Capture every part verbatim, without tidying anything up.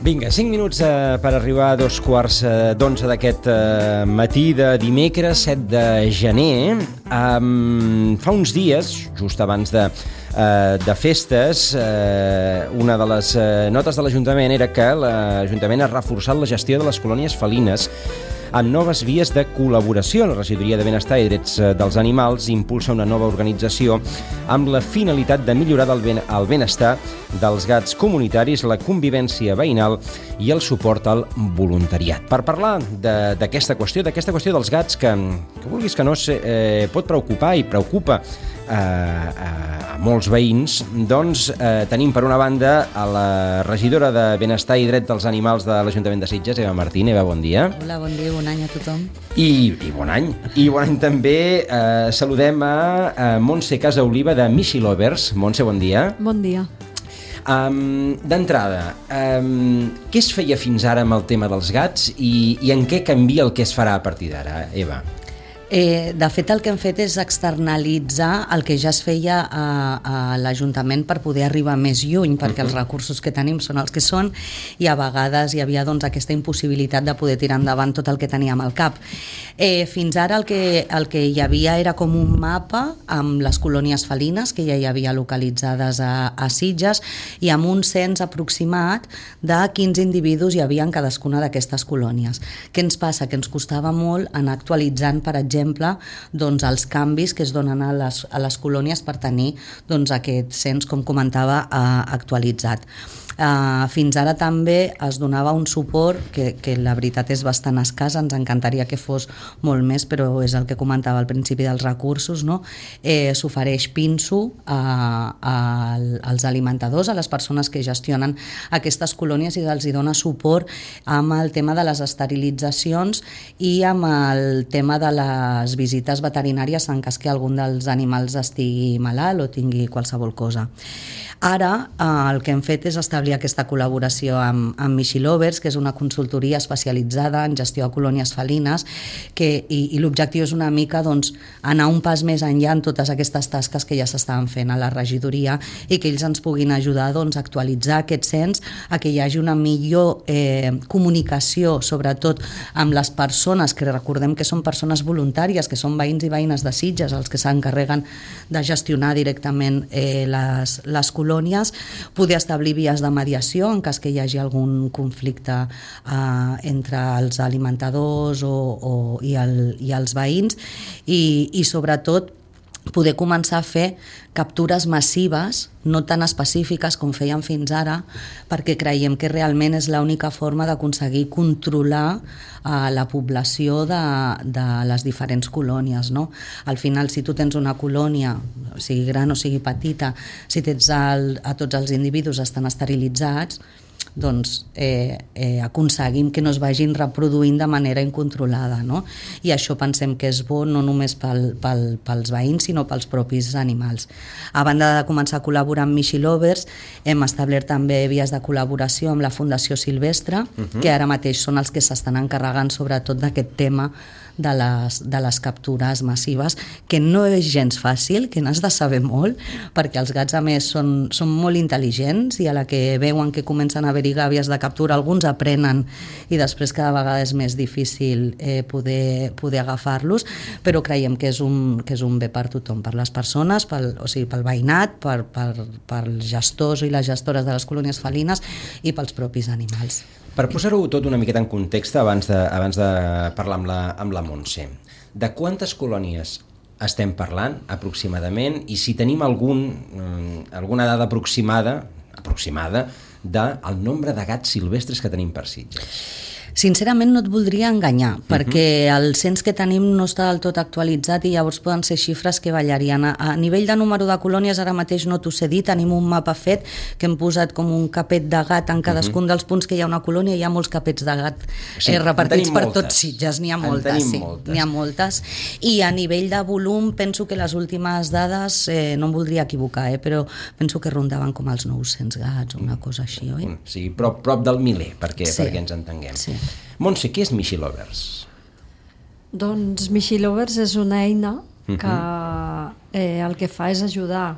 Vinga, cinc minuts eh, per arribar a dos quarts eh, d'onze d'aquest eh, matí de dimecres set de gener. Um, fa uns dies, just abans de, eh, de festes, eh, una de les eh, notes de l'Ajuntament era que l'Ajuntament ha reforçat la gestió de les colònies felines amb noves vies de col·laboració. La Regidoria de Benestar i Drets dels Animals impulsa una nova organització amb la finalitat de millorar el, ben, el benestar dels gats comunitaris, la convivència veïnal i el suport al voluntariat. Per parlar d'aquesta qüestió, d'aquesta qüestió dels gats que, que vulguis que no, eh, pot preocupar i preocupa eh, a, a molts veïns, doncs eh, tenim per una banda a la regidora de Benestar i Drets dels Animals de l'Ajuntament de Sitges, Eva Martín. Eva, bon dia. Hola, bon dia, bon any a tothom. I, i bon any. I bon any també. Eh, saludem a, a Montse Casaoliva de Mishi Lovers. Montse, bon dia. Bon dia. Um, D'entrada, um, què es feia fins ara amb el tema dels gats i, i en què canvia el que es farà a partir d'ara, Eva? Eh, de fet, el que hem fet és externalitzar el que ja es feia a, a l'Ajuntament per poder arribar més lluny, perquè uh-huh. els recursos que tenim són els que són i a vegades hi havia doncs, aquesta impossibilitat de poder tirar endavant tot el que teníem al cap. Eh, fins ara el que, el que hi havia era com un mapa amb les colònies felines que ja hi havia localitzades a, a Sitges i amb un cens aproximat de quins individus hi havia en cadascuna d'aquestes colònies. Què ens passa? Que ens costava molt anar actualitzant, per exemple, exemple, doncs, els canvis que es donen a les, a les colònies per tenir doncs, aquest cens, com comentava, eh, actualitzat. Uh, fins ara també es donava un suport que, que la veritat és bastant escàs, ens encantaria que fos molt més, però és el que comentava al principi dels recursos, no? Eh, s'ofereix pinso a, a, als alimentadors, a les persones que gestionen aquestes colònies i els hi dona suport amb el tema de les esterilitzacions i amb el tema de les visites veterinàries en cas que algun dels animals estigui malalt o tingui qualsevol cosa. Ara eh, el que hem fet és establir aquesta col·laboració amb, amb Mishi Lovers, que és una consultoria especialitzada en gestió de colònies felines, que, i, i l'objectiu és una mica doncs, anar un pas més enllà en totes aquestes tasques que ja s'estaven fent a la regidoria i que ells ens puguin ajudar doncs, a actualitzar aquest cens, a que hi hagi una millor eh, comunicació, sobretot amb les persones, que recordem que són persones voluntàries, que són veïns i veïnes de Sitges, els que s'encarreguen de gestionar directament eh, les, les colònies, poder establir vies de mediació en cas que hi hagi algun conflicte eh, entre els alimentadors o, o, i, el, i els veïns i, i sobretot poder començar a fer captures massives, no tan específiques com fèiem fins ara, perquè creiem que realment és l'única forma d'aconseguir controlar eh, la població de, de les diferents colònies, no? Al final, si tu tens una colònia, sigui gran o sigui petita, si tens el, a tots els individus estan esterilitzats, doncs eh, eh, aconseguim que no es vagin reproduint de manera incontrolada, no? I això pensem que és bo no només pel, pel, pels veïns sinó pels propis animals. A banda de començar a col·laborar amb Mishi Lovers, hem establert també vies de col·laboració amb la Fundació Silvestre, uh-huh. que ara mateix són els que s'estan encarregant sobretot d'aquest tema de les, de les captures massives, que no és gens fàcil, que n'has de saber molt, perquè els gats a més són, són molt intel·ligents i a la que veuen que comencen a haver-hi gàbies de captura, alguns aprenen i després cada vegada és més difícil eh, poder, poder agafar-los, però creiem que és, un, que és un bé per tothom, per les persones, pel, o sigui, pel veïnat, per, per, pels gestors i les gestores de les colònies felines i pels propis animals. Per posar-ho tot una miqueta en context abans de, abans de parlar amb la, amb la Montse, de quantes colònies estem parlant aproximadament i si tenim algun, alguna dada aproximada, aproximada del nombre de gats silvestres que tenim per Sitges? Sincerament no et voldria enganyar, uh-huh. perquè el cens que tenim no està del tot actualitzat i llavors poden ser xifres que ballarien. A, a nivell de número de colònies ara mateix no t'ho sé dir, tenim un mapa fet que hem posat com un capet de gat en cadascun uh-huh. dels punts que hi ha una colònia, hi ha molts capets de gat sí, eh, repartits per moltes. Tots Sitges, n'hi ha moltes, sí, moltes. N'hi ha moltes. I a nivell de volum penso que les últimes dades, eh, no em voldria equivocar, eh, però penso que rondaven com els nou-cents gats o una cosa així, oi? Sí, prop, prop del miler, perquè, sí. perquè ens entenguem. Sí. Montse, què és Mishi Lovers? Doncs Mishi Lovers és una eina que eh, el que fa és ajudar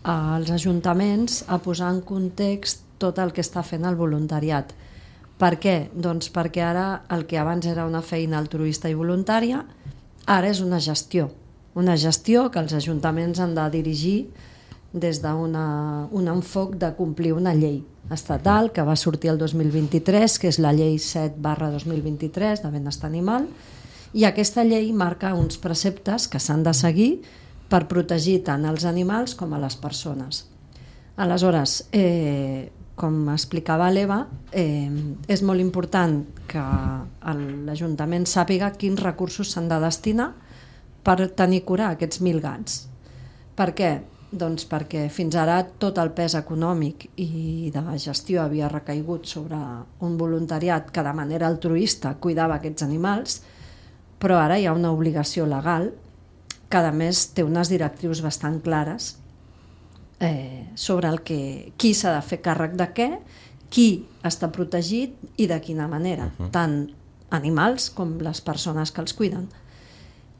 als ajuntaments a posar en context tot el que està fent el voluntariat. Per què? Doncs perquè ara el que abans era una feina altruista i voluntària, ara és una gestió. Una gestió que els ajuntaments han de dirigir des d'un enfoc de complir una llei estatal que va sortir el dos mil vint-i-tres, que és la llei set barra dos mil vint-i-tres de benestar animal, i aquesta llei marca uns preceptes que s'han de seguir per protegir tant els animals com a les persones. Aleshores, eh, com explicava l'Eva, eh, és molt important que l'Ajuntament sàpiga quins recursos s'han de destinar per tenir cura aquests mil gats. Per què? Doncs perquè fins ara tot el pes econòmic i de la gestió havia recaigut sobre un voluntariat que de manera altruista cuidava aquests animals, però ara hi ha una obligació legal que a més té unes directrius bastant clares eh, sobre el que, qui s'ha de fer càrrec de què, qui està protegit i de quina manera, uh-huh. tant animals com les persones que els cuiden.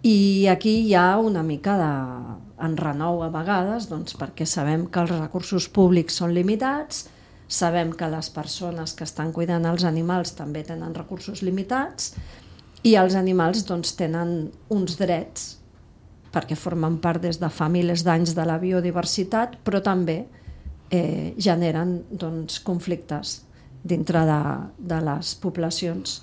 I aquí hi ha una mica d'enrenou a vegades, doncs, perquè sabem que els recursos públics són limitats, sabem que les persones que estan cuidant els animals també tenen recursos limitats i els animals doncs, tenen uns drets perquè formen part des de fa milers d'anys de la biodiversitat, però també eh, generen doncs, conflictes dintre de, de les poblacions,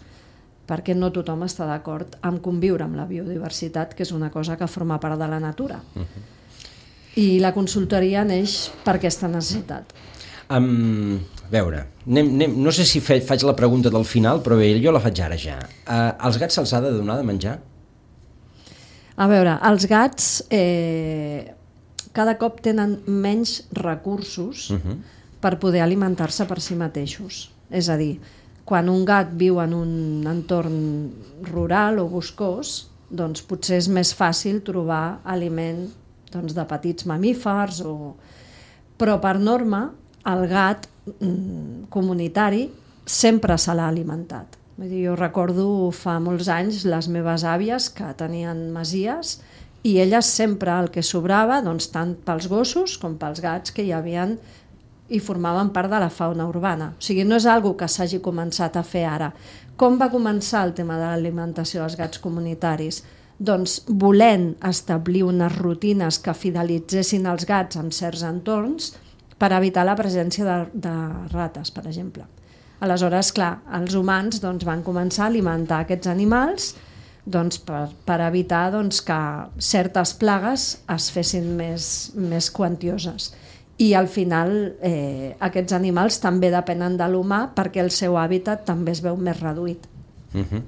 perquè no tothom està d'acord amb conviure amb la biodiversitat, que és una cosa que forma part de la natura. Uh-huh. I la consultoria neix per aquesta necessitat. Um, a veure, anem, anem, no sé si fe, faig la pregunta del final, però bé, jo la faig ara ja. Uh, als gats se'ls ha de donar de menjar? A veure, els gats eh, cada cop tenen menys recursos uh-huh. per poder alimentar-se per si mateixos. És a dir, quan un gat viu en un entorn rural o boscós, doncs potser és més fàcil trobar aliment doncs, de petits mamífers, o... però per norma el gat mm, comunitari sempre se l'ha alimentat. Vull dir, jo recordo fa molts anys les meves àvies que tenien masies i elles sempre el que sobrava, doncs, tant pels gossos com pels gats que hi havien i formaven part de la fauna urbana. O sigui, no és algo que s'hagi començat a fer ara. Com va començar el tema de l'alimentació dels gats comunitaris? Doncs volent establir unes rutines que fidelitzessin els gats en certs entorns per evitar la presència de, de rates, per exemple. Aleshores, clar, els humans doncs, van començar a alimentar aquests animals doncs, per, per evitar doncs, que certes plagues es fessin més, més quantioses. I al final eh, aquests animals també depenen de l'humà perquè el seu hàbitat també es veu més reduït. Uh-huh.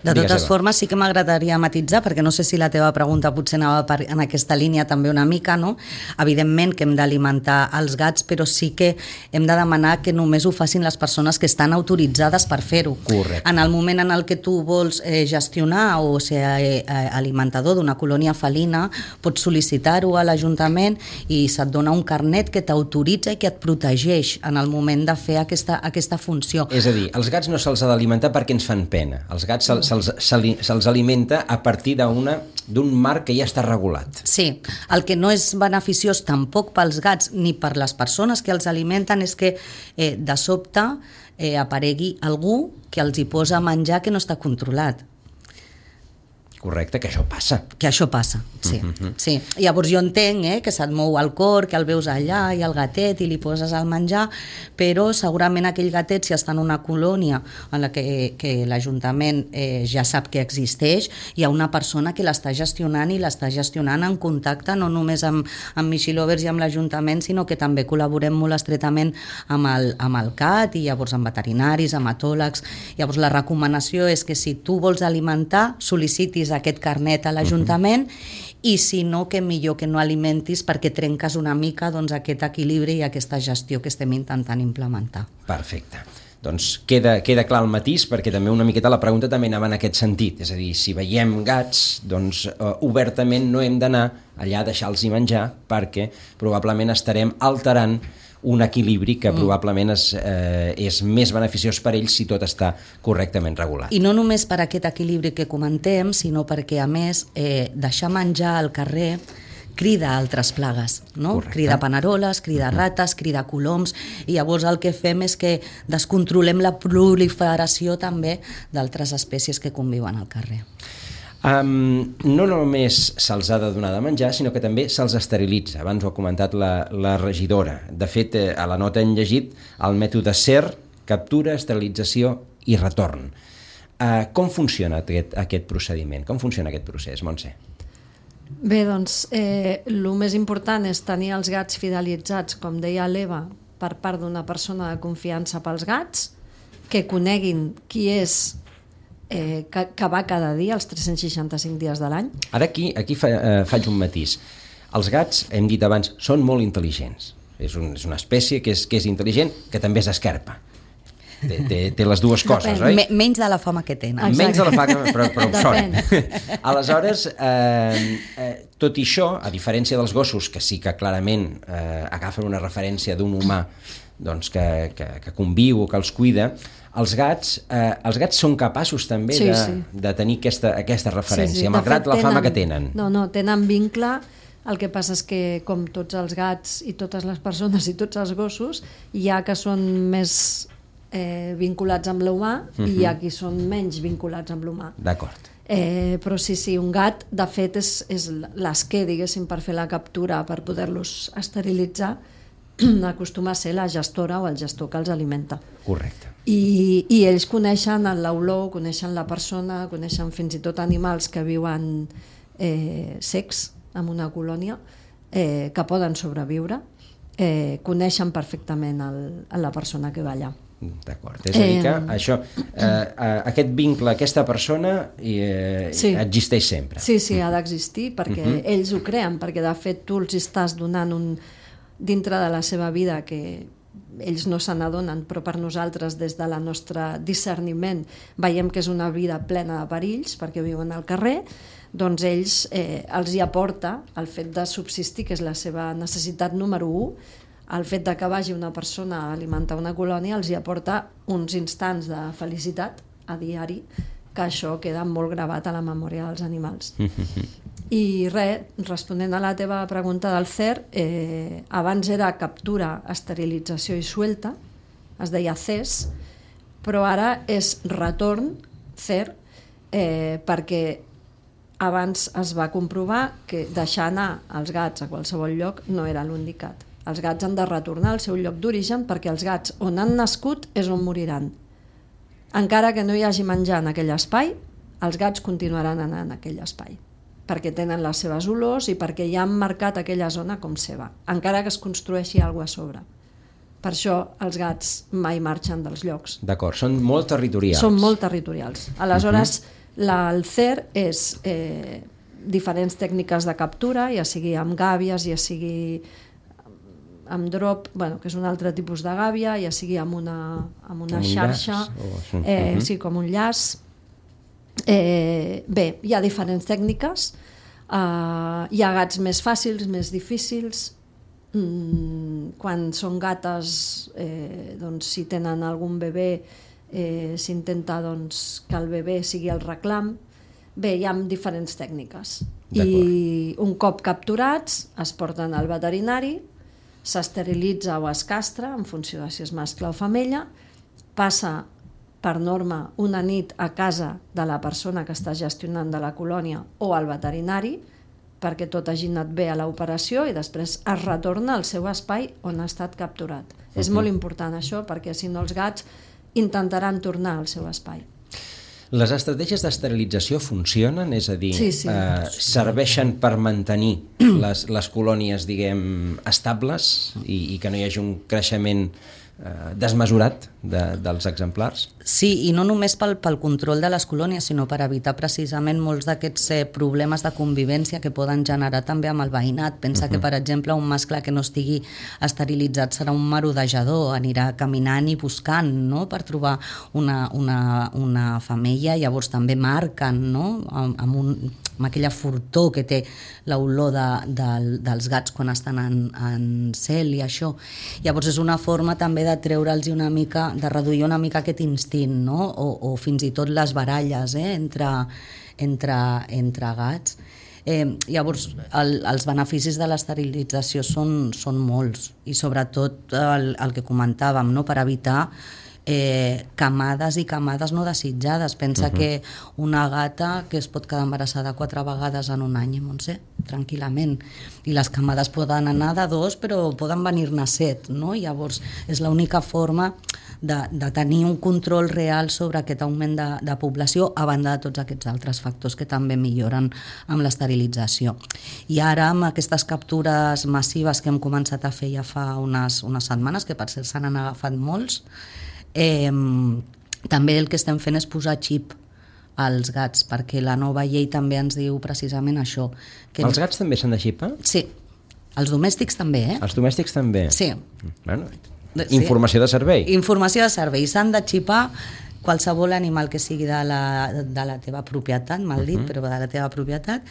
De totes formes sí que m'agradaria matitzar, perquè no sé si la teva pregunta potser anava per, en aquesta línia també una mica, no? Evidentment que hem d'alimentar els gats, però sí que hem de demanar que només ho facin les persones que estan autoritzades per fer-ho. Correcte. En el moment en el que tu vols eh, gestionar o ser eh, alimentador d'una colònia felina, pots sol·licitar-ho a l'Ajuntament i se't dona un carnet que t'autoritza i que et protegeix en el moment de fer aquesta, aquesta funció. És a dir, els gats no se'ls ha d'alimentar perquè ens fan pena. Els gats se'ls, se'ls, se'ls alimenta a partir d'un marc que ja està regulat. Sí, el que no és beneficiós tampoc pels gats ni per les persones que els alimenten és que eh, de sobte eh, aparegui algú que els hi posa menjar que no està controlat. Correcte, que això passa. Que això passa, sí. Uh-huh. sí. Llavors jo entenc eh, que se't mou el cor, que el veus allà i el gatet i li poses el menjar, però segurament aquell gatet, si està en una colònia en la que, que l'Ajuntament eh, ja sap que existeix, hi ha una persona que l'està gestionant i l'està gestionant en contacte no només amb, amb Michi Lovers i amb l'Ajuntament, sinó que també col·laborem molt estretament amb el, amb el C A T i llavors amb veterinaris, amb etòlegs. Llavors la recomanació és que si tu vols alimentar, sol·licitis aquest carnet a l'Ajuntament uh-huh. i si no, que millor que no alimentis perquè trenques una mica doncs, aquest equilibri i aquesta gestió que estem intentant implementar. Perfecte. Doncs queda, queda clar el matís, perquè també una miqueta la pregunta també anava en aquest sentit, és a dir, si veiem gats, doncs uh, obertament no hem d'anar allà a deixar-los menjar perquè probablement estarem alterant un equilibri que probablement és, eh, és més beneficiós per ells si tot està correctament regulat. I no només per aquest equilibri que comentem, sinó perquè, a més, eh, deixar menjar al carrer crida altres plagues, no? Correcte. Crida paneroles, crida rates, crida coloms, i llavors el que fem és que descontrolem la proliferació també d'altres espècies que conviuen al carrer. Um, no només se'ls ha de donar de menjar, sinó que també se'ls esterilitza. Abans ho ha comentat la, la regidora. De fet, eh, a la nota hem llegit el mètode S E R, captura, esterilització i retorn. Uh, com funciona aquest, aquest procediment? Com funciona aquest procés, Montse? Bé, doncs, eh, el més important és tenir els gats fidelitzats, com deia l'Eva, per part d'una persona de confiança pels gats, que coneguin qui és, eh, que, que va cada dia, els tres-cents seixanta-cinc dies de l'any. Ara aquí, aquí fa, eh, faig un matís. Els gats, hem dit abans, són molt intel·ligents. És, un, és una espècie que és, que és intel·ligent, que també és esquerpa. Té, té, té les dues coses, oi? M menys de la fama que tenen. Exacte. Menys de la fama, però, però ho Depèn. són. Aleshores, eh, eh, tot i això, a diferència dels gossos, que sí que clarament eh, agafen una referència d'un humà doncs, que, que, que conviu o que els cuida, els gats, eh, els gats són capaços també Sí, de, sí. de tenir aquesta, aquesta referència, Sí, sí. malgrat De la fet, fama que tenen. No, no, tenen vincle. El que passa és que, com tots els gats i totes les persones i tots els gossos, hi ha que són més eh, vinculats amb l'humà uh-huh. i hi ha qui són menys vinculats amb l'humà. D'acord. Eh, però sí, sí, un gat, de fet, és, és l'esquer, diguéssim, per fer la captura, per poder-los esterilitzar, acostuma a ser la gestora o el gestor que els alimenta. Correcte. I, i ells coneixen l'olor, coneixen la persona, coneixen fins i tot animals que viuen eh, secs en una colònia, eh, que poden sobreviure, eh, coneixen perfectament el, la persona que va allà. D'acord, és a dir que Eh, això, eh, aquest vincle, aquesta persona eh, Sí. existeix sempre. Sí, sí, ha d'existir, perquè uh-huh. ells ho creen, perquè de fet tu els estàs donant un dintre de la seva vida que ells no se n'adonen, però per nosaltres, des de la nostra discerniment, veiem que és una vida plena de perills, perquè viuen al carrer, doncs ells eh, els hi aporta el fet de subsistir, que és la seva necessitat número u, el fet de que vagi una persona a alimentar una colònia els hi aporta uns instants de felicitat a diari, que això queda molt gravat a la memòria dels animals. I res, responent a la teva pregunta del C E R, eh, abans era captura, esterilització i suelta, es deia C E S, però ara és retorn, C E R, eh, perquè abans es va comprovar que deixar anar els gats a qualsevol lloc no era l'indicat. Els gats han de retornar al seu lloc d'origen perquè els gats on han nascut és on moriran. Encara que no hi hagi menjar en aquell espai, els gats continuaran anant en aquell espai, perquè tenen les seves olors i perquè ja han marcat aquella zona com seva, encara que es construeixi alguna cosa a sobre. Per això els gats mai marxen dels llocs. D'acord, són molt territorials. Són molt territorials. Aleshores, uh-huh. la, el C E R és eh, diferents tècniques de captura, ja sigui amb gàbies, ja sigui amb drop, bueno, que és un altre tipus de gàbia, ja sigui amb una, amb una xarxa, llaç, o... eh, uh-huh. sí, com un llaç. Eh, bé, hi ha diferents tècniques, eh, hi ha gats més fàcils, més difícils. Mm, quan són gates, eh, doncs, si tenen algun bebè, eh, s'intenta doncs, que el bebè sigui el reclam. Bé, hi ha diferents tècniques. I un cop capturats es porten al veterinari, s'esterilitza o es castra en funció de si és mascle o femella, passa per norma una nit a casa de la persona que està gestionant de la colònia o al veterinari, perquè tot hagi anat bé a l'operació i després es retorna al seu espai on ha estat capturat. Uh-huh. És molt important això, perquè si no els gats intentaran tornar al seu espai. Les estratègies d'esterilització funcionen? És a dir, sí, sí. Eh, serveixen per mantenir les, les colònies, diguem, estables i, i que no hi hagi un creixement eh, desmesurat de, dels exemplars? Sí, i no només pel, pel control de les colònies, sinó per evitar precisament molts d'aquests eh, problemes de convivència que poden generar també amb el veïnat. Pensa uh-huh. que, per exemple, un mascle que no estigui esterilitzat serà un merodejador, anirà caminant i buscant, no?, per trobar una, una, una femella, llavors també marquen, no?, amb, amb, un, amb aquella furtor que té l'olor de, de, dels gats quan estan en, en cel i això. Llavors és una forma també de treure'ls una mica, de reduir una mica aquest instint, no? o, o fins i tot les baralles eh? entre, entre, entre gats. Eh, llavors, el, els beneficis de l'esterilització són, són molts, i sobretot el, el que comentàvem, no? Per evitar Eh, camades i camades no desitjades. Pensa uh-huh. que una gata que es pot quedar embarassada quatre vegades en un any, Montse, tranquil·lament, i les camades poden anar de dos però poden venir-ne set, no? Llavors és l'única forma de, de tenir un control real sobre aquest augment de, de població, a banda de tots aquests altres factors que també milloren amb l'esterilització. I ara, amb aquestes captures massives que hem començat a fer ja fa unes, unes setmanes, que per cert se n'han agafat molts, Eh, també el que estem fent és posar xip als gats, perquè la nova llei també ens diu precisament això. Que els gats també s'han de xipar? Sí, els domèstics també, eh? Els domèstics també? Sí. Bueno, informació de servei. Informació de servei. S'han de xipar qualsevol animal que sigui de la, de la teva propietat, mal dit, uh-huh. però de la teva propietat,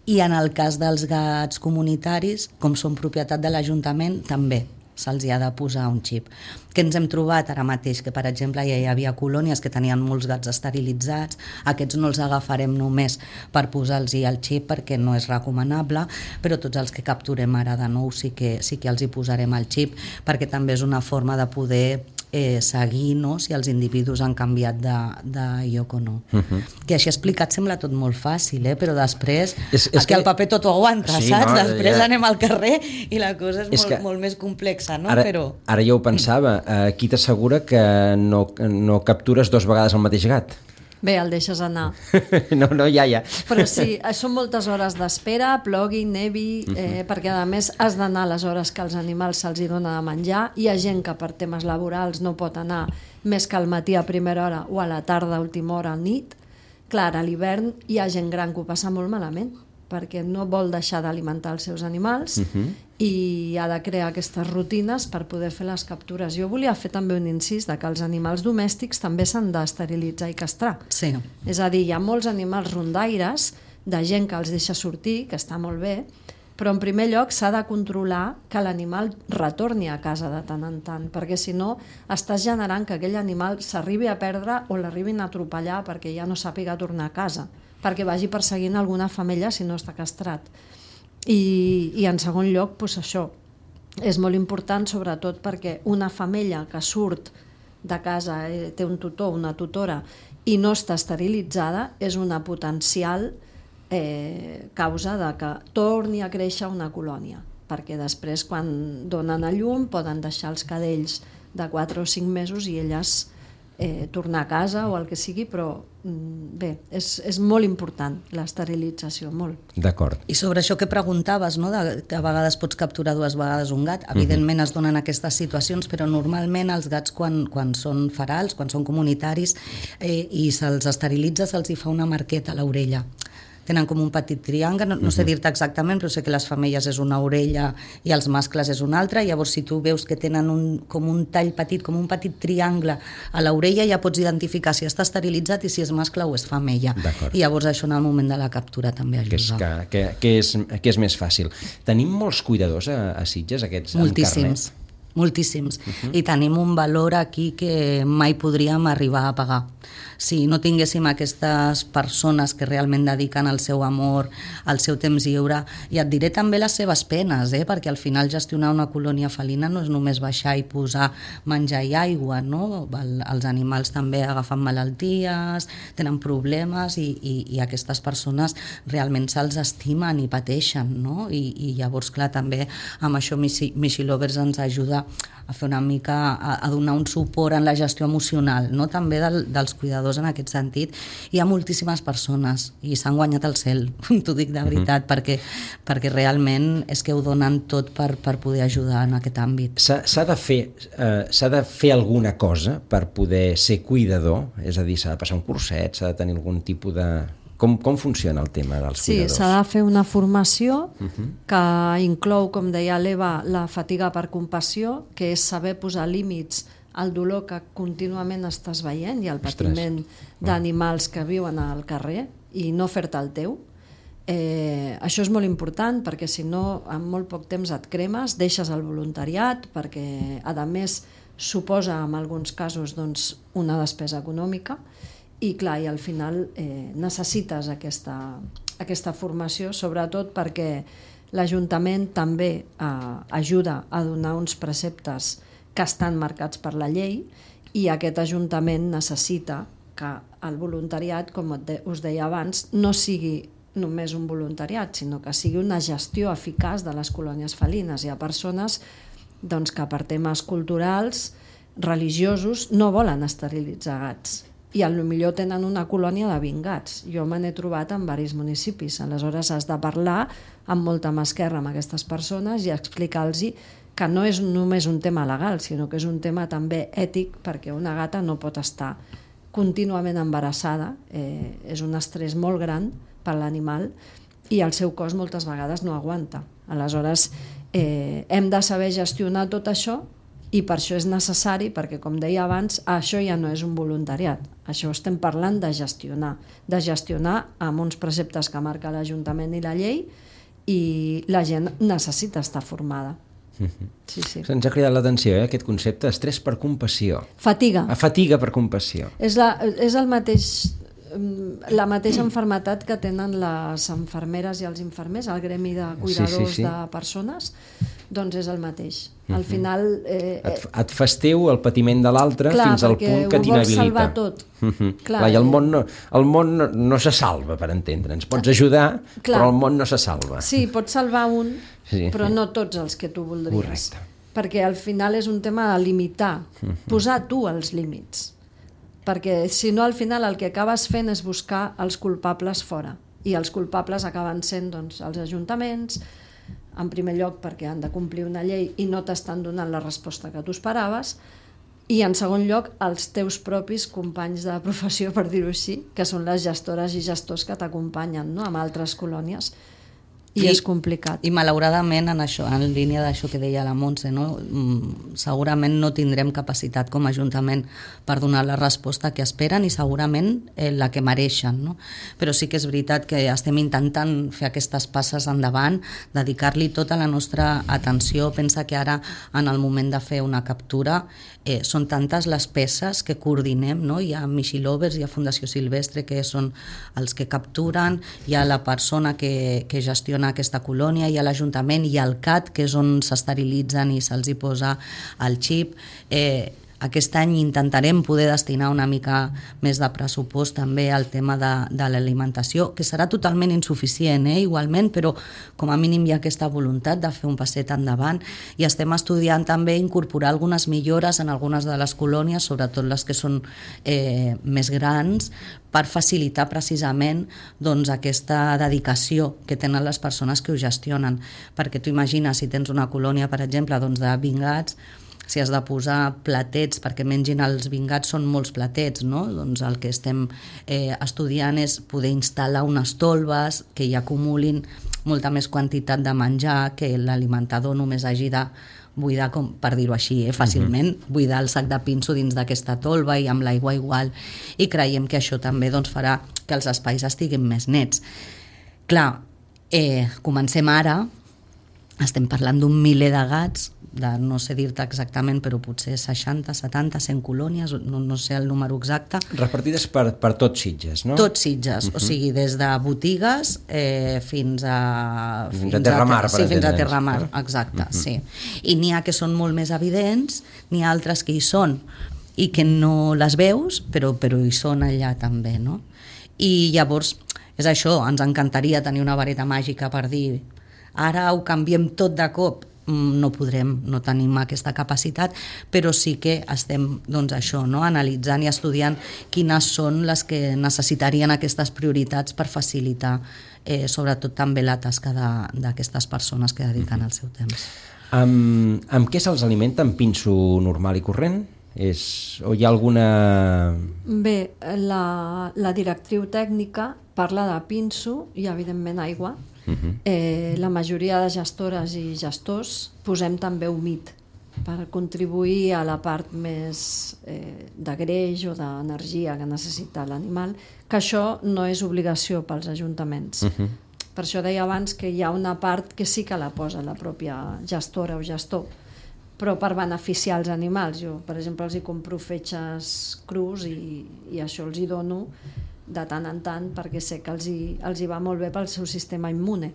i en el cas dels gats comunitaris, com són propietat de l'Ajuntament, també se'ls hi ha de posar un xip. Que ens hem trobat ara mateix que, per exemple, ja hi havia colònies que tenien molts gats esterilitzats, aquests no els agafarem només per posar-los el xip perquè no és recomanable, però tots els que capturem ara de nou sí que, sí que els hi posarem el xip, perquè també és una forma de poder eh, seguir, no?, si els individus han canviat de, de lloc o no. Uh-huh. Que així explicat sembla tot molt fàcil, eh? Però després és, és que el paper tot ho aguanta, sí, saps? No, després ja... anem al carrer i la cosa és, és molt, molt més complexa, no? Ara, però... ara ja ho pensava, qui t'assegura que no, no captures dos vegades el mateix gat? Bé, el deixes anar. No, no, ja, ja. Però sí, són moltes hores d'espera, plogui, nevi, eh, uh-huh. perquè a més has d'anar a les hores que als animals se'ls hi dona de menjar. Hi ha gent que per temes laborals no pot anar més que al matí a primera hora o a la tarda a última hora a nit. Clar, a l'hivern hi ha gent gran que ho passa molt malament, perquè no vol deixar d'alimentar els seus animals uh-huh. i ha de crear aquestes rutines per poder fer les captures. Jo volia fer també un incís de que els animals domèstics també s'han d'esterilitzar i castrar. Sí. És a dir, hi ha molts animals rondaires de gent que els deixa sortir, que està molt bé, però en primer lloc s'ha de controlar que l'animal retorni a casa de tant en tant, perquè si no estàs generant que aquell animal s'arribi a perdre o l'arribin a atropellar perquè ja no sàpiga tornar a casa, perquè vagi perseguint alguna femella si no està castrat. I, i en segon lloc, doncs això, és molt important sobretot perquè una femella que surt de casa, eh, té un tutor, una tutora, i no està esterilitzada, és una potencial eh, causa de que torni a créixer una colònia, perquè després quan donen a llum poden deixar els cadells de quatre o cinc mesos i elles eh, tornar a casa o el que sigui, però bé, és, és molt important l'esterilització, molt. D'acord. I sobre això que preguntaves, no? De, que a vegades pots capturar dues vegades un gat, evidentment uh-huh. es donen aquestes situacions, però normalment els gats quan, quan són ferals, quan són comunitaris eh, i se'ls esterilitza, se'ls hi fa una marqueta a l'orella. Tenen com un petit triangle, no, no sé dir-te exactament, però sé que les femelles és una orella i els mascles és una altra. Llavors, si tu veus que tenen un, com un tall petit, com un petit triangle a l'orella, ja pots identificar si està esterilitzat i si és mascle o és femella. I llavors això en el moment de la captura també ajuda. Que és, que, que, que és, que és més fàcil. Tenim molts cuidadors a, a Sitges, aquests Moltíssims. amb carnet? Moltíssims. Uh-huh. I tenim un valor aquí que mai podríem arribar a pagar. Si no tinguéssim aquestes persones que realment dediquen el seu amor, el seu temps lliure, i et diré també les seves penes, eh? Perquè al final gestionar una colònia felina no és només baixar i posar menjar i aigua, no? El, els animals també agafen malalties, tenen problemes i, i, i aquestes persones realment se'ls estimen i pateixen, no? I, i llavors, clar, també amb això Mishi Lovers ens ajuda a fer una mica, a, a donar un suport en la gestió emocional, no? També del, dels cuidadors en aquest sentit. Hi ha moltíssimes persones i s'han guanyat el cel, t'ho dic de veritat, uh-huh. perquè, perquè realment és que ho donen tot per, per poder ajudar en aquest àmbit. S'ha de fer, eh, s'ha de fer alguna cosa per poder ser cuidador? És a dir, s'ha de passar un curset, s'ha de tenir algun tipus de... Com, com funciona el tema dels sí, cuidadors? Sí, s'ha de fer una formació uh-huh. que inclou, com deia l'Eva, la fatiga per compassió, que és saber posar límits al dolor que contínuament estàs veient i al patiment d'animals que viuen al carrer i no fer-te el teu. Eh, això és molt important perquè si no en molt poc temps et cremes, deixes el voluntariat perquè a més suposa en alguns casos doncs, una despesa econòmica i clar, i al final eh, necessites aquesta, aquesta formació, sobretot perquè l'Ajuntament també eh, ajuda a donar uns preceptes que estan marcats per la llei, i aquest Ajuntament necessita que el voluntariat, com us deia abans, no sigui només un voluntariat, sinó que sigui una gestió eficaç de les colònies felines. Hi ha persones doncs, que per temes culturals, religiosos, no volen esterilitzar gats, i potser tenen una colònia de vint gats. Jo me n'he trobat en diversos municipis. Aleshores has de parlar amb molta mà esquerra amb aquestes persones i explicar-los que no és només un tema legal, sinó que és un tema també ètic, perquè una gata no pot estar contínuament embarassada, eh, és un estrès molt gran per l'animal i el seu cos moltes vegades no aguanta. Aleshores, eh, hem de saber gestionar tot això, i per això és necessari, perquè com deia abans, això ja no és un voluntariat, això estem parlant de gestionar, de gestionar amb uns preceptes que marca l'Ajuntament i la llei, i la gent necessita estar formada. Sí, sí. Ens ha cridat l'atenció, eh, aquest concepte, estrès per compassió. Fatiga. A fatiga per compassió. És, la, és el mateix, la mateixa enfermetat que tenen les infermeres i els infermers, el gremi de cuidadors sí, sí, sí. de persones, doncs és el mateix. Al final... Eh, et, et festeu el patiment de l'altre fins al punt que t'inhabilita. Clar, perquè ho vols salvar tot. Uh-huh. Clar, clar, i el món, no, el món no, no se salva, per entendre'ns. Pots ajudar, clar, però el món no se salva. Sí, pots salvar un, sí, però no tots els que tu voldries. Correcte. Perquè al final és un tema de limitar, uh-huh. posar tu els límits. Perquè si no, al final el que acabes fent és buscar els culpables fora. I els culpables acaben sent doncs, els ajuntaments, en primer lloc perquè han de complir una llei i no t'estan donant la resposta que tu esperaves, i en segon lloc els teus propis companys de professió, per dir-ho així, que són les gestores i gestors que t'acompanyen, no?, amb altres colònies. I, I és complicat. I malauradament, en això, en línia d'això que deia la Montse, no? segurament no tindrem capacitat com a Ajuntament per donar la resposta que esperen i segurament eh, la que mereixen. No? Però sí que és veritat que estem intentant fer aquestes passes endavant, dedicar-li tota la nostra atenció. Pensa que ara, en el moment de fer una captura, eh, són tantes les peces que coordinem, no? Hi ha Michilovers, hi ha Fundació Silvestre, que són els que capturen, hi ha la persona que, que gestiona aquesta colònia, hi ha l'Ajuntament, hi ha el C A T, que és on s'esterilitzen i se'ls hi posa el xip. Eh, aquest any intentarem poder destinar una mica més de pressupost també al tema de, de l'alimentació, que serà totalment insuficient, eh, igualment, però com a mínim hi ha aquesta voluntat de fer un passet endavant, i estem estudiant també incorporar algunes millores en algunes de les colònies, sobretot les que són eh, més grans, per facilitar precisament doncs, aquesta dedicació que tenen les persones que ho gestionen. Perquè tu imagines, si tens una colònia, per exemple, doncs, de vint gats, si has de posar platets perquè mengin els vint gats, són molts platets, no? Doncs el que estem eh, estudiant és poder instal·lar unes tolves que hi acumulin molta més quantitat de menjar, que l'alimentador només hagi de buidar, com per dir-ho així, eh, fàcilment, uh-huh. buidar el sac de pinso dins d'aquesta tolva i amb l'aigua igual, i creiem que això també doncs, farà que els espais estiguin més nets. Clar, eh, comencem ara, estem parlant d'un miler de gats, de no sé dir-te exactament, però potser seixanta, setanta, cent colònies, no, no sé el número exacte. Repartides per, per tot Sitges, no? Tot Sitges, uh-huh. o sigui, des de botigues eh, fins a... Fins a Terramar, per sí, fins a Terramar, exacte, uh-huh. sí. I n'hi ha que són molt més evidents, n'hi ha altres que hi són i que no les veus, però, però hi són allà també, no? I llavors, és això, ens encantaria tenir una vareta màgica per dir ara ho canviem tot de cop. No podrem, no tenim aquesta capacitat, però sí que estem doncs, això, no? analitzant i estudiant quines són les que necessitarien aquestes prioritats per facilitar eh, sobretot també la tasca d'aquestes persones que dediquen el seu temps. Amb, amb què se'ls alimenta? Amb pinso normal i corrent? És, o hi ha alguna... Bé, la, la directriu tècnica parla de pinso i evidentment aigua. Uh-huh. Eh, la majoria de gestores i gestors posem també humit per contribuir a la part més eh, de greix o d'energia que necessita l'animal, que això no és obligació pels ajuntaments. Uh-huh. Per això deia abans que hi ha una part que sí que la posa la pròpia gestora o gestor, però per beneficiar els animals. Jo, per exemple, els hi compro fetges crus i, i això els hi dono de tant en tant, perquè sé que els hi, els hi va molt bé pel seu sistema immune.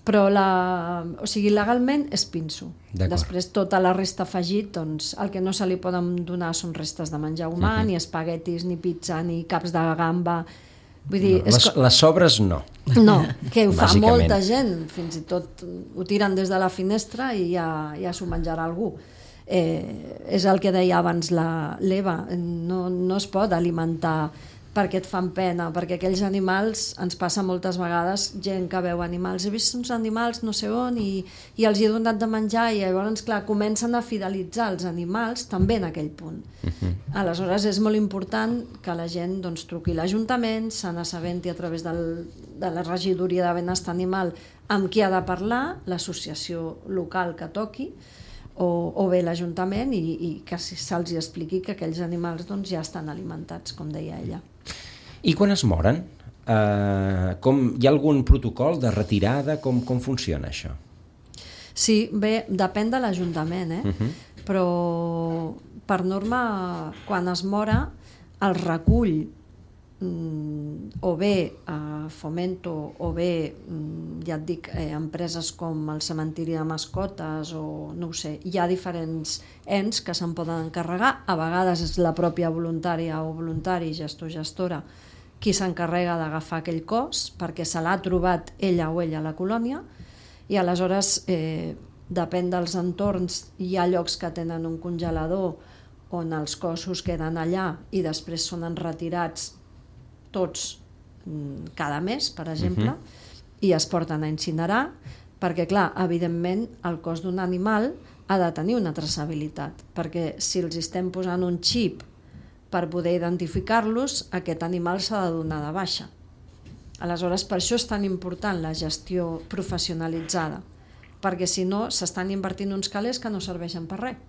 Però la, o sigui, legalment és pinso. Després tota la resta afegit, doncs el que no se li poden donar són restes de menjar humà, uh-huh. ni espaguetis, ni pizza, ni caps de gamba. Vull dir, no, les, les sobres no. No, que ho fa molta gent, fins i tot ho tiren des de la finestra i ja, ja s'ho menjarà algú. Eh, és el que deia abans l'Eva, no, no es pot alimentar perquè et fan pena, perquè aquells animals, ens passa moltes vegades, gent que veu animals, he vist uns animals no sé on i, i els he donat de menjar i llavors, clar, comencen a fidelitzar els animals també en aquell punt. Uh-huh. Aleshores és molt important que la gent doncs, truqui a l'Ajuntament, se n'assabenti a través del, de la regidoria de benestar animal amb qui ha de parlar, l'associació local que toqui, o, o bé l'Ajuntament, i, i que se'ls expliqui que aquells animals doncs, ja estan alimentats, com deia ella. I quan es moren? Uh, com, hi ha algun protocol de retirada? Com, com funciona això? Sí, bé, depèn de l'Ajuntament, eh? Uh-huh. Però per norma, quan es mora, el recull mm, o bé eh, Fomento o bé, mm, ja et dic, eh, empreses com el cementiri de mascotes o no ho sé, hi ha diferents ens que se'n poden encarregar, a vegades és la pròpia voluntària o voluntari, gestor, gestora, qui s'encarrega d'agafar aquell cos perquè se l'ha trobat ella o ella a la colònia i aleshores eh, depèn dels entorns, hi ha llocs que tenen un congelador on els cossos queden allà i després són retirats tots cada mes, per exemple, uh-huh. i es porten a incinerar perquè, clar, evidentment el cos d'un animal ha de tenir una traçabilitat, perquè si els estem posant un xip per poder identificar-los, aquest animal s'ha de donar de baixa. Aleshores, per això és tan important la gestió professionalitzada, perquè si no s'estan invertint uns calés que no serveixen per res.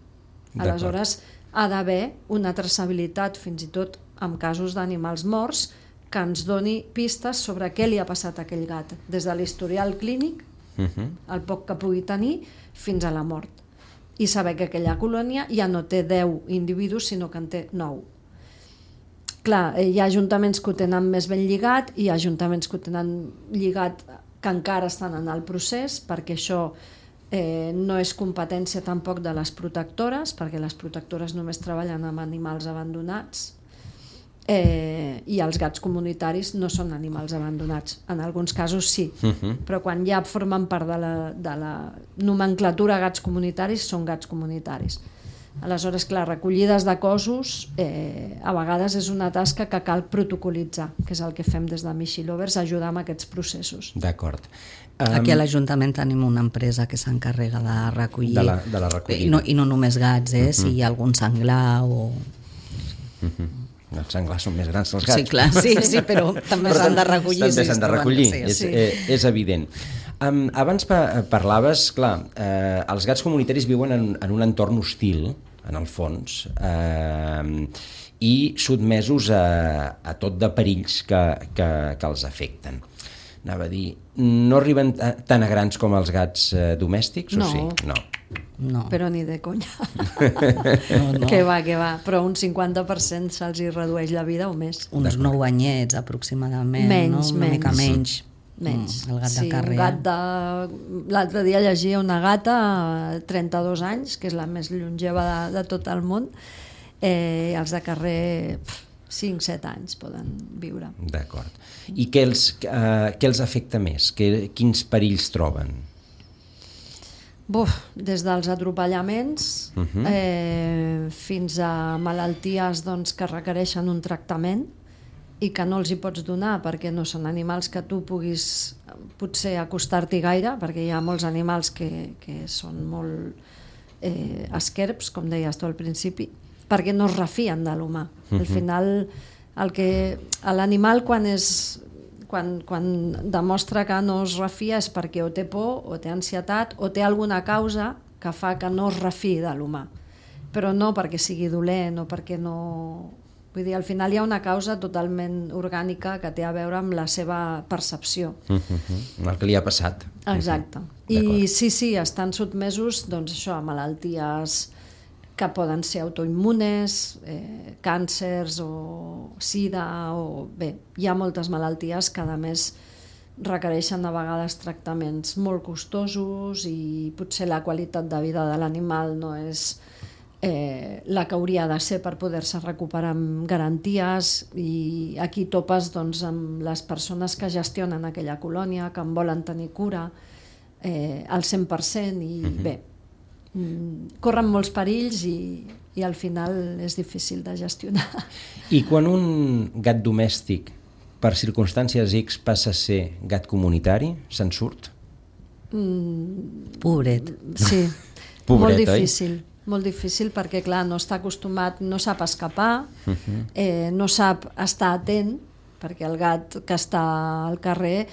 Aleshores, ha d'haver una traçabilitat, fins i tot en casos d'animals morts, que ens doni pistes sobre què li ha passat a aquell gat, des de l'historial clínic, uh-huh. el poc que pugui tenir, fins a la mort. I saber que aquella colònia ja no té deu individus, sinó que en té nou. Clar, hi ha ajuntaments que ho tenen més ben lligat, i hi ha ajuntaments que ho tenen lligat que encara estan en el procés, perquè això eh, no és competència tampoc de les protectores, perquè les protectores només treballen amb animals abandonats, eh, i els gats comunitaris no són animals abandonats. En alguns casos sí, uh-huh. però quan ja formen part de la, de la nomenclatura gats comunitaris, són gats comunitaris. Aleshores, clar, recollides de cossos eh, a vegades és una tasca que cal protocolitzar, que és el que fem des de Michi Lovers, ajudar amb aquests processos. D'acord. Um, Aquí a l'Ajuntament tenim una empresa que s'encarrega de recollir, de la, de la recollida. I no, i no només gats, eh, uh-huh. si hi ha algun senglar o... Uh-huh. Els senglars són més grans que els gats. Sí, clar, sí, sí, però també s'han de recollir. També s'han de recollir, sí, és, sí. eh, és evident. Um, abans pa- parlaves, clar, eh, els gats comunitaris viuen en, en un entorn hostil, en el fons, eh, i sotmesos a, a tot de perills que, que, que els afecten. Anava a dir, no arriben t- tan a grans com els gats eh, domèstics, No. o sí? No. No. Però ni de conya. No, no. Que va, que va. Però un cinquanta per cent se'ls hi redueix la vida o més. Uns nou anyets aproximadament, Menys, no? Una menys. mica menys. Menys. Mm, el gat sí, de carrer. Un gat de... L'altre dia llegia una gata, trenta-dos anys, que és la més longeva de, de tot el món. Eh, els de carrer, cinc set anys poden viure. D'acord. I què els, eh, què els afecta més? Que, quins perills troben? Buf, des dels atropellaments Uh-huh. eh, fins a malalties doncs, que requereixen un tractament i que no els hi pots donar perquè no són animals que tu puguis potser acostar-t'hi gaire, perquè hi ha molts animals que, que són molt eh, esquerps, com deies tu al principi, perquè no es refien de l'humà. Uh-huh. Al final, el que, l'animal quan és quan, quan demostra que no es refia és perquè o té por, o té ansietat, o té alguna causa que fa que no es refiï de l'humà. Però no perquè sigui dolent o perquè no... Vull dir, al final hi ha una causa totalment orgànica que té a veure amb la seva percepció. Uh-huh. El que li ha passat. Exacte. Uh-huh. I sí, sí, estan sotmesos doncs, això, a malalties que poden ser autoimmunes, eh, càncers o sida, o bé, hi ha moltes malalties que a més requereixen a vegades tractaments molt costosos i potser la qualitat de vida de l'animal no és eh, la que hauria de ser per poder-se recuperar amb garanties, i aquí topes doncs, amb les persones que gestionen aquella colònia, que en volen tenir cura eh, al cent per cent, i uh-huh. bé, corren molts perills i, i al final és difícil de gestionar. I quan un gat domèstic per circumstàncies X passa a ser gat comunitari, se'n surt? Mm, pobret. Sí, Pobret, molt difícil. Oi? Molt difícil perquè, clar, no està acostumat, no sap escapar, uh-huh. eh, no sap estar atent, perquè el gat que està al carrer,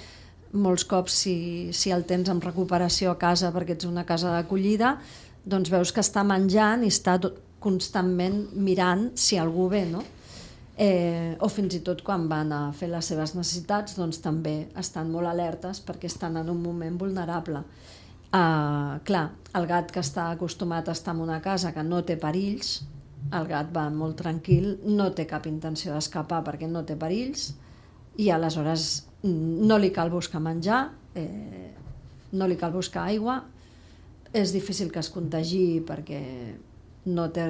molts cops si, si el tens en recuperació a casa perquè ets una casa d'acollida, doncs veus que està menjant i està tot, constantment mirant si algú ve, no? Eh, o fins i tot quan van a fer les seves necessitats, doncs també estan molt alertes perquè estan en un moment vulnerable. Uh, clar, el gat que està acostumat a estar en una casa que no té perills, el gat va molt tranquil, no té cap intenció d'escapar perquè no té perills, i aleshores no li cal buscar menjar, eh, no li cal buscar aigua, és difícil que es contagi perquè no, té,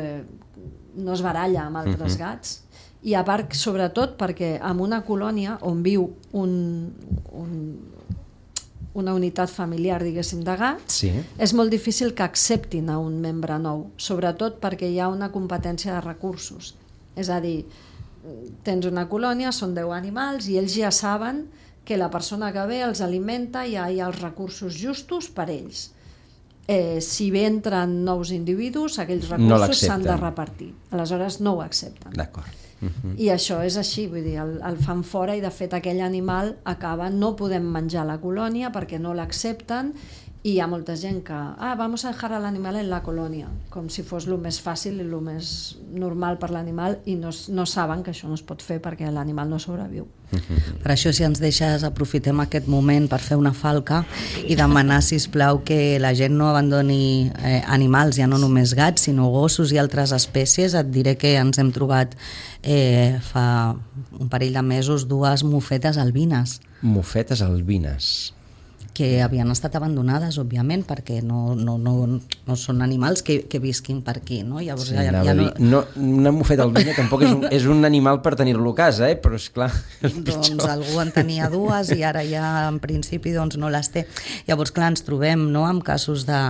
no es baralla amb altres uh-huh. gats, i a part, sobretot, perquè en una colònia on viu un, un, una unitat familiar, diguéssim, de gats, sí. és molt difícil que acceptin a un membre nou, sobretot perquè hi ha una competència de recursos. És a dir, tens una colònia, són deu animals, i ells ja saben que la persona que ve els alimenta i hi ha, hi ha els recursos justos per ells. Eh, si bé entren nous individus, aquells recursos s'han no de repartir. Aleshores no ho accepten. D'acord. Uh-huh. I això és així, vull dir, el, el fan fora i de fet aquell animal acaba, no podem menjar a la colònia perquè no l'accepten, i hi ha molta gent que, ah, vamos a dejar l'animal en la colònia, com si fos el més fàcil i el més normal per l'animal, i no, no saben que això no es pot fer perquè l'animal no sobreviu. Per això, si ens deixes, aprofitem aquest moment per fer una falca i demanar, sisplau, que la gent no abandoni eh, animals, ja no només gats, sinó gossos i altres espècies. Et diré que ens hem trobat eh, fa un parell de mesos dues mofetes albines. Mofetes albines. Que havien estat abandonades, òbviament, perquè no, no, no, no són animals que, que visquin per aquí, no? Llavors, sí, ja, ja no... no, una mofeta albina tampoc és un, és un animal per tenir-lo a casa, eh? Però és clar, és doncs algú en tenia dues i ara ja en principi doncs, no les té. Llavors, clar, ens trobem, no?, amb casos, de,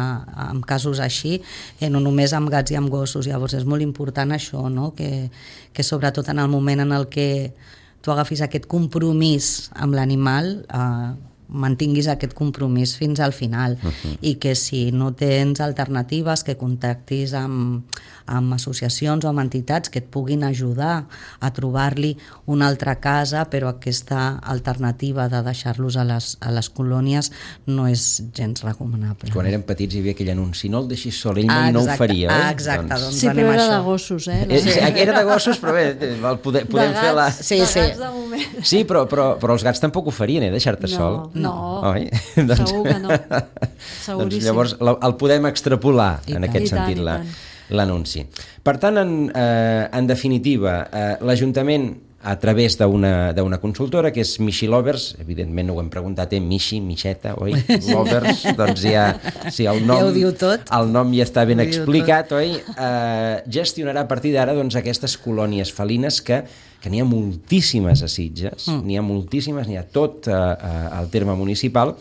amb casos així, eh, no només amb gats i amb gossos. Llavors és molt important això, no?, que, que sobretot en el moment en el que tu agafis aquest compromís amb l'animal, eh, mantinguis aquest compromís fins al final, uh-huh. i que si no tens alternatives, que contactis amb, amb associacions o amb entitats que et puguin ajudar a trobar-li una altra casa, però aquesta alternativa de deixar-los a les, a les colònies no és gens recomanable. Quan érem petits hi havia aquell anunci, no el deixis sol, ell mai no ho faria, oi? Exacte, doncs, sí, però era de gossos, eh? Sí, era de gossos, però bé, el poder, podem gats, fer la... Sí, sí. De gats de moment. Sí, però, però, però els gats tampoc ho farien, eh, deixar-te no, sol. No, Oi? Segur que no. Seguríssim. Doncs llavors el podem extrapolar I en tant. aquest I tant, sentit i la, tant. l'anunci. Per tant, en, eh, en definitiva, eh, l'Ajuntament, a través d'una d'una consultora, que és Mishi Lovers, evidentment no ho hem preguntat, eh? Mishi, Mixeta, oi? Lovers, doncs ja, sí, el nom, ja ho diu tot. El nom ja està ben explicat, oi? Eh, gestionarà a partir d'ara doncs, aquestes colònies felines que, que n'hi ha moltíssimes a Sitges, mm. n'hi ha moltíssimes, n'hi ha tot eh, al terme municipal,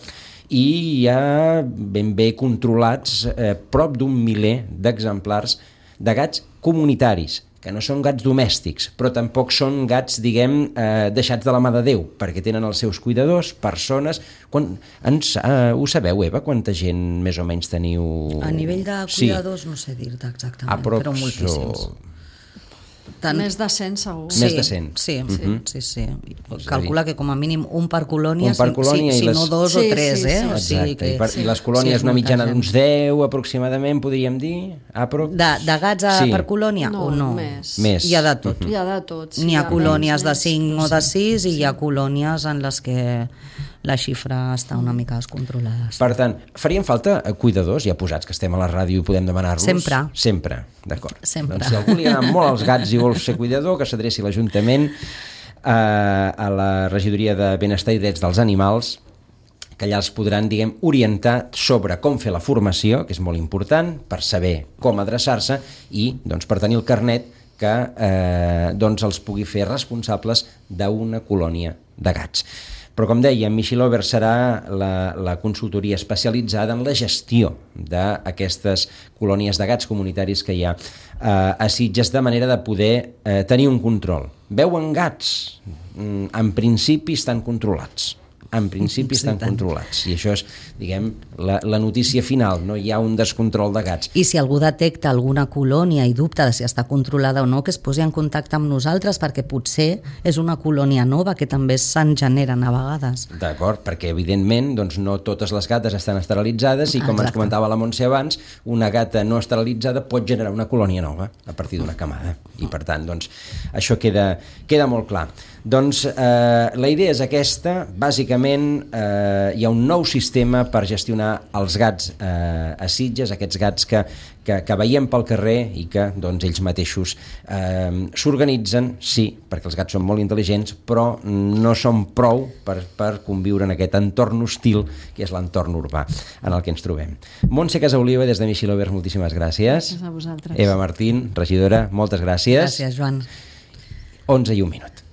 i hi ha ben bé controlats eh, prop d'un miler d'exemplars de gats comunitaris, que no són gats domèstics, però tampoc són gats, diguem, eh, deixats de la mà de Déu, perquè tenen els seus cuidadors, persones... Quan, ens, eh, ho sabeu, Eva, quanta gent més o menys teniu... A nivell de cuidadors sí. No sé dir-te exactament, Aprox, però moltíssims. O... Tant... Més de cent, segur. Sí, Més de cent. Sí, uh-huh. sí, sí. Calcula que com a mínim un per colònia, un per colònia si, si, les... si no dos sí, o tres, sí, eh? sí. O sigui Exacte, que... I, per, i les colònies sí, una mitjana gent. d'uns deu aproximadament, podríem dir? Aprox... De, de gats a, sí. per colònia? No, o no? més. Més. Hi ha de tot. Hi ha de tot. Sí, N'hi ha colònies menys, de cinc o de sis i sí. hi ha colònies en les que la xifra està una mica descontrolada. Per tant, farien falta cuidadors, ja posats que estem a la ràdio i podem demanar-los? Sempre. Sempre, d'acord. Sempre. Doncs si algú li agraden molt els gats i vol ser cuidador, que s'adreci a l'Ajuntament, a, a la Regidoria de Benestar i Drets dels Animals, que allà els podran, diguem, orientar sobre com fer la formació, que és molt important, per saber com adreçar-se i, doncs, per tenir el carnet que eh, doncs els pugui fer responsables d'una colònia de gats. Però, com deia, Michilover serà la, la consultoria especialitzada en la gestió d'aquestes colònies de gats comunitaris que hi ha eh, a Sitges, de manera de poder eh, tenir un control. Veuen gats? En principi estan controlats. En principi estan controlats. I això és, diguem, la, la notícia final. No hi ha un descontrol de gats. I si algú detecta alguna colònia i dubta de si està controlada o no, que es posi en contacte amb nosaltres, perquè potser és una colònia nova que també se'n generen a vegades. D'acord, perquè evidentment doncs, no totes les gates estan esterilitzades i, com Exacte. Ens comentava la Montse abans, una gata no esterilitzada pot generar una colònia nova a partir d'una camada. I per tant, doncs, això queda, queda molt clar. Doncs eh, la idea és aquesta. Bàsicament eh, hi ha un nou sistema per gestionar els gats eh, a Sitges, aquests gats que, que, que veiem pel carrer i que doncs, ells mateixos eh, s'organitzen, sí, perquè els gats són molt intel·ligents, però no són prou per, per conviure en aquest entorn hostil que és l'entorn urbà en el que ens trobem. Montse Casaoliva, des de Michilover, moltíssimes gràcies. Gràcies a vosaltres. Eva Martín, regidora, moltes gràcies. Gràcies, Joan. onze i un minut.